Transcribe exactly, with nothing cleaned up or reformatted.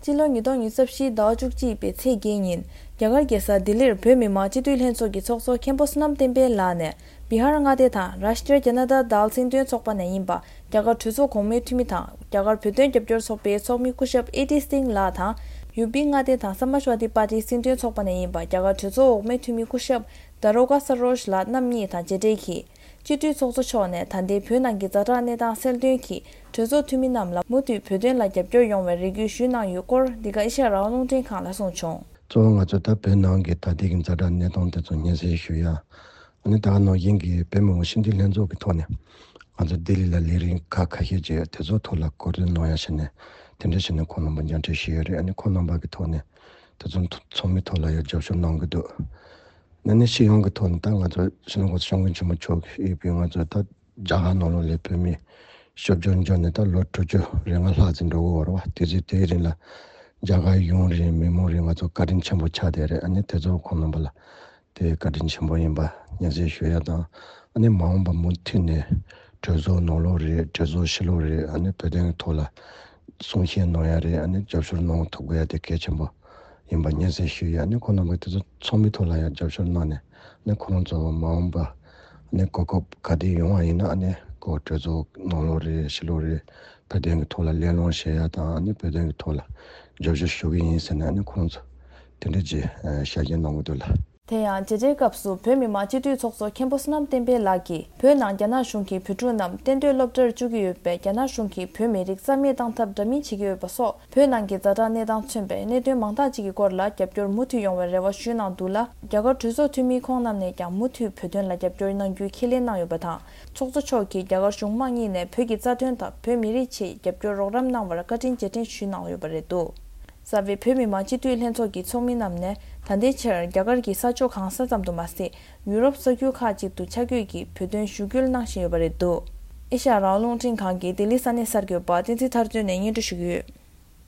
སྤྱི་ལོ་ཉིས་སྟོང་ཉི་ཤུ་རྩ་བཞིའི་ཟླ་བ་བཅུ་གཅིག་པའི་ཚེས་བརྒྱད་ཉིན། རྒྱ་གར་རྒྱལ་ས་ལྡི་ལིར་བོད་མི་མང་སྤྱི་འཐུས་ལྷན་ཚོགས་ཀྱི་ཚོགས་གཙོ་མཁན་པོ་བསོད་ནམས་བསྟན་འཕེལ་ལགས་ནས། བི་ཧར་མངའ་སྡེ་དང་རཱཤ་ཊྲ་ཇ་ན་ཏ་དལ་སྲིད་དོན་ཚོགས་པ་ནས་ཡིན་པ་རྒྱ་གར་གྲོས་ཚོགས་གོང་མའི་འཐུས་མི་དང་། རྒྱ་གར་བོད་དོན་རྒྱབ་སྐྱོར་ཚོགས་པའི་ཚོགས་མི་སྐུ་ཞབས་ཨེ་ཊི་སིང་ལགས་དང་། ཡུ་པི་མངའ་སྡེ་དང་སམ་མཱ་ཤ་ཝ་དི་པར་ཊིའི་སྲིད་དོན་ཚོགས་པ་ནས་ཡིན་པ་རྒྱ་གར་གྲོས་ཚོགས་འོག་མའི་འཐུས་མི་སྐུ་ཞབས་དཱ་རོ་ཀ་ས་རོ་ཇ་ལགས་རྣམ་གཉིས་དང་མཇལ་འཕྲད་ཀྱིས། སྤྱི་འཐུས་ཚོགས་གཙོ་མཆོག་ནས་ད་ལྟའི་བོད་ནང་གི་ཛ་དྲག་གནས་སྟངས་གསལ་སྟོན་གྱིས། གྲོས་ཚོགས་འཐུས་མི་རྣམས་ལ་མུ་མཐུད་བོད་དོན་ལ་རྒྱབ་སྐྱོར་ཡོང་བའི་རེ་སྐུལ་ཞུས་གནང་ཡོད་སྐོར། འདི་ག་ཨེ་ཤ་ཡ་རང་དབང་རླུང་འཕྲིན་ཁང་ལ་གསུངས་བྱུང་། གཙོ་བོ་ང་ཚོ་ད་བོད་ནང་གི་ད་ལྟའི་གི་ཛ་དྲག་གནས་སྟངས་དེ་ཚོ་སྙན་སེང་ཞུ་ཡ། ཨ་ནི་ད་ག་ནང་བཞིན་གྱི་བོད་མི་མང་སྤྱི་འཐུས་ལྷན་ཚོགས་ཀྱི་ཐོག་ནས་ང་ཚོ་ལྡི་ལི་ལ་ལས་རིམ་ཁག་ཁ་ཤས་ཅིག་དེ་ཚོ་ཐོག་ལ་གོ་སྒྲིག་གནང་ཡ་བྱས་ནས། དེ་འདྲ་བྱས་ནས་ཁོང་རྣམ་པ་མཇལ་འཕྲད་ཞུས་ཡོད་རེད། ཨ་ནི་ཁོང་རྣམ་པ་གི་ཐོག་ནས་དེ་ཚོ་ཚོགས་མི་ཐོག་ལ་ཡང་རྒྱབ་སྐྱོར་གནང་གི་འདུག་ཨ་ནི་སྤྱི་ཡོངས་ཀྱི་ཐོག་ནས་ད་ང་ཚོ་སྤྱི་ནོར་གོང་ས་སྐྱབས་མགོན་ཆེན་པོ་མཆོག་གིས་ཡོད་པའི་ང་ཚོ་ད་རྒྱ་གར་ནང་ལོགས་ལ་བོད་མི་སྐྱབས་བཅོལ་འབྱོར་ནས་ད་ལོ་དྲུག་ཅུ་རེ་ལྔ་ལྷག་ཙམ་འགྲོ་གི་ཡོད་རེད་བ། དེ་ཚོའི་དེའི་རིང་ལ་རྒྱ་གར་ཡོངས་རིང་མི་མང་རིང་ང་ཚོ་བཀའ་དྲིན་ཆེན་པོ་ཆགས་བསྡད་རེད། ཨ་ནི་དེ་ཚོ་ཁོང་རྣམ་པ་ལ་དེ་བཀའ་དྲིན་ཆེན་པོ་ཡིན་པ་སྙན་སེང་ཞུ་ཡ་དང་། ཨ་ནི་མ་འོངས་པ་མུ་མཐུད་ནས་གྲོས་ཚོགས་ནང་ལོགས་རེད། གྲོས་ཚོགས་ཕྱི་ལོགས་རེད། ཨ་ནི་བོད་དོན་གྱི་ཐོག་ལ་གསུང་བཤད་གནང་ཡ་རེད། ཨ་ནི་རྒྱབ་སྐྱོར་གནང་ཐུབ་དགོས་ཡ་དེ་གལ་ཆེན་པོ་ཡིན་པ་སྙན་སེང་ཞུ་ཡ། ཨ་ནི་ཁོང་རྣམ་པ་དེ་ཚོ་ཚོགས་མི་ཐོག་ལ་ཡང་རྒྱབ་སྐྱོར་གནང་ནས། ཨ་ནི་ཁོང་ཚོ་མ་འོངས་པ་ཨ་ནི་གོ་སྐབས་ག་དུས་ཡོང་བ་ཡིན་ན། ཨ་ནི་གོ་གྲོས་ཚོགས་ནང་ལོགས་རེད། ཕྱི་ལོགས་རེད། བོད་དོན་གྱི་ཐོག་ལ་གླེང་སློང་བྱེད་ཡ་དང་། ཨ་ནི་བོད་དོན་གྱི་ཐོག་ལ་རྒྱབ་སྐྱོར་ཞུ་གི་ཡིན་ཟེར་ནས། ཨ་ནི་ཁོང་ཚོ་དེ་འདྲ་ཅིག་ཨ་བྱ་རྒྱུ་གནང་གི་འདུག་ལ། དེ་ཡང་མཇལ་འཕྲད་སྐབས་སུ་བོད་མི་མང་སྤྱི་འཐུས་ཚོགས་གཙོ་མཁན་པོ་བསོད་ནམས་བསྟན་འཕེལ་ལགས་ཀྱིས། བོད་ནང་རྒྱ་ནག་གཞུང་གི་བོད་ཕྲུག་རྣམས་གཏན་སྡོད་སློབ་གྲྭར་བཅུག་གི་ཡོད་པས། རྒྱ་ནག་གཞུང་གིས་བོད་མི་རིགས་རྩ་མེད་བཏང་ཐབས་འདྲ་མིན་བྱེད་ཀྱི་ཡོད་པ་སོགས། བོད་ནང་གི་ཛ་དྲག་གནས་སྟངས་མཚོན་པའི་གནད་དོན་མང་དག་ཅིག་གི་སྐོར་ལ་རྒྱབ་སྐྱོར་མུ་མཐུད་ཡོང་བའི་རེ་བ་ཞུས་གནང་འདུག་ལ། རྒྱ་གར་གྲོས་ཚོགས་འཐུས་མི་ཁོང་རྣམས་ནས་ཀྱང་མུ་མཐུད་བོད་དོན་ལ་རྒྱབ་སྐྱོར་གནང་རྒྱུའི་ཁས་ལེན་གནང་ཡོད་པ་དང་། ཚོགས་གཙོ་མཆོག་གིས་རྒྱ་གར་གཞུང་མང་གཉིས་ནས་བོད་ཀྱི་རྩ་དོན་དང་བོད་མི་རིགས་ཆེད་རྒྱབ་སྐྱོར་རོགས་རམ་གནང་བར་བཀའ་དྲིན་རྗེས་དྲན་ཞུས་གནང་ཡོད་པ་རེད་འདུག་རྩ་བའི་བོད་མི་མང་སྤྱི་འཐུས་ལྷན་ཚོགས་ཀྱི་ཚོགས་མི་རྣམས་ནས་ད་ལྟའི་ཆར་རྒྱ་གར་གྱི་ས་ཕྱོགས་གང་ས་ཙམ་དུ་མ་ཟད། ཡུ་རོབ་ས་ཁུལ་ཁག་ཅིག་ཏུ་ཆ་བགོས་ཀྱིས་བོད་དོན་ཞུ་སྐུལ་གནང་བཞིན་ཡོད་པ་རེད་འདུག་ཨེ་ཤ་ཡ་རང་དབང་རླུང་འཕྲིན་ཁང་གི་ལྡི་ལི་ས་གནས་གསར་འགོད་པ་བསྟན་འཛིན་ཐར་སྟོན་ནས་སྙན་སྒྲོན་ཞུ་གི་ཡོད།